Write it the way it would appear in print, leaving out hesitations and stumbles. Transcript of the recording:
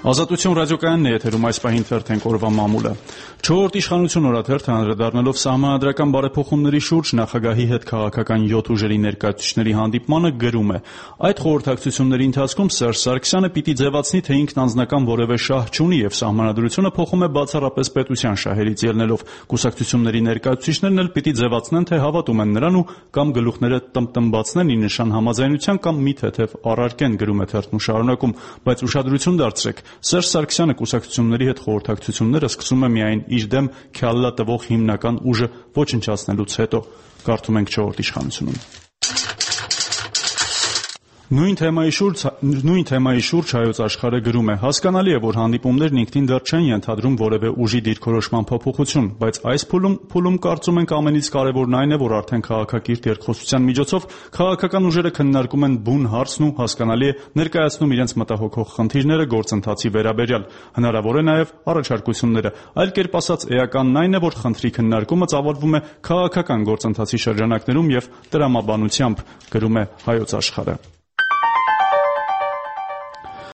Ազատություն ռադիոկայանն է եթերում այս պահին թերթենք օրվա մամուլը։ 4-րդ իշխանություն օրաթերթը անդրադառնալով սահմանադրական բարեփոխումների շուրջ նախագահի հետ քաղաքական 7 ուժերի ներկայացուցիչների հանդիպմանը գրում է. այդ խորհրդակցությունների ընթացքում Սերժ Սարգսյանը պիտի ձևացնի, թե ինքն անձնական որևէ շահ չունի եւ սահմանադրությունը փոխում է բացառապես պետության շահերից ելնելով։ Կուսակցությունների ներկայացուցիչներն էլ պիտի ձևացնեն, թե հավատում են նրան ու կամ գլուխները տմտմբացնեն ի նշան համաձայնության կամ մի թեթև առարկեն, գրում է թերթն ու շարունակում, բայց ուշադրություն դարձրեք, Սերժ Սարգսյանը կուսակցությունների հետ խորհրդակցությունները սկսում է միայն իր դեմ քյալլա տվող հիմնական ուժը ոչնչացնելուց հետո, կարդում ենք 4-րդ իշխանությունում։ Նույն թեմայի շուրջ Հայոց Աշխարհը գրում է. հասկանալի է, որ հանդիպումներն ինքնին դեռ չեն ենթադրում որևէ ուժի դիրքորոշման փոփոխություն, բայց այս փուլում կարծում ենք ամենից կարևորն այն է, որ արդեն քաղաքակիրթ երկխոսության միջոցով քաղաքական ուժերը քննարկում են բուն հարցն ու հասկանալի է ներկայացնում իրենց մտահոգող խնդիրները գործընթացի վերաբերյալ, հնարավոր է նաև առաջարկությունները, այլ կերպ ասած էականն այն է, որ խնդրի քննարկումը ծավալվում է քաղաքական գործընթացի շրջանակներում եւ տրամաբանությամբ, գրում է Հայոց Աշխարհը։